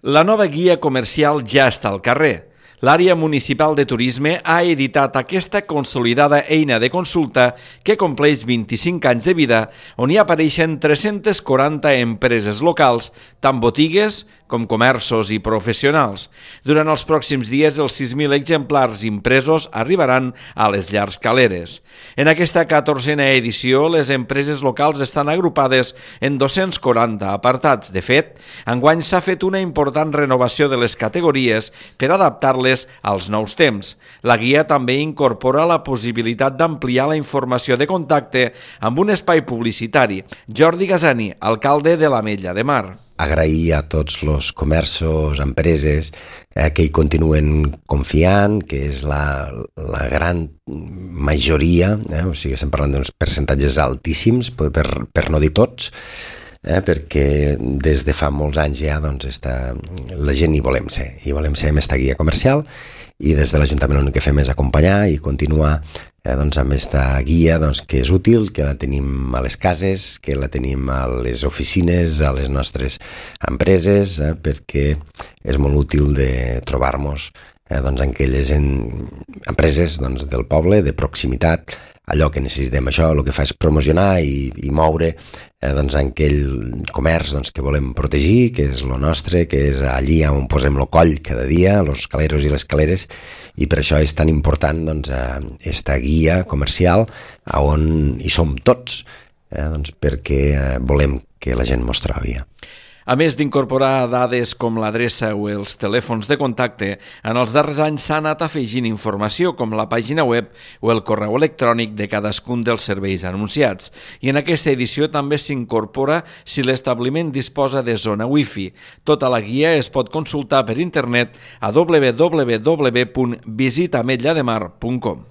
La nova guia comercial ja està al carrer. L'àrea municipal de turisme ha editat aquesta consolidada eina de consulta que compleix 25 anys de vida, on hi apareixen 340 empreses locals, tant botigues com comerços i professionals. Durant els pròxims dies, els 6.000 exemplars impresos arribaran a les llars caleres. En aquesta 14a edició, les empreses locals estan agrupades en 240 apartats. De fet, enguany s'ha fet una important renovació de les categories per adaptar-les als nous temps. La guia també incorpora la possibilitat d'ampliar la informació de contacte amb un espai publicitari. Jordi Gasani, alcalde de l'Ametlla de Mar. Agrair a tots els comerços, empreses que hi continuen confiant, que és la gran majoria, o sigui, estem parlant d'uns percentatges altíssims, per no dir tots, perquè des de fa molts anys ja la gent hi volem ser amb aquesta guia comercial, i des de l'Ajuntament l'únic que fem és acompanyar i continuar amb aquesta guia que és útil, que la tenim a les cases, que la tenim a les oficines, a les nostres empreses, perquè és molt útil de trobar-nos en aquelles empreses del poble, de proximitat, allò que necessitem. Això el que fa és promocionar i moure aquell comerç que volem protegir, que és el nostre, que és allí on posem el coll cada dia, els caleros i les caleres, i per això és tan important aquesta guia comercial on hi som tots, perquè volem que la gent mos trobi. A més d'incorporar dades com l'adreça o els telèfons de contacte, en els darrers anys s'ha anat afegint informació com la pàgina web o el correu electrònic de cadascun dels serveis anunciats. I en aquesta edició també s'incorpora si l'establiment disposa de zona wifi. Tota la guia es pot consultar per internet a www.visitametlademar.com.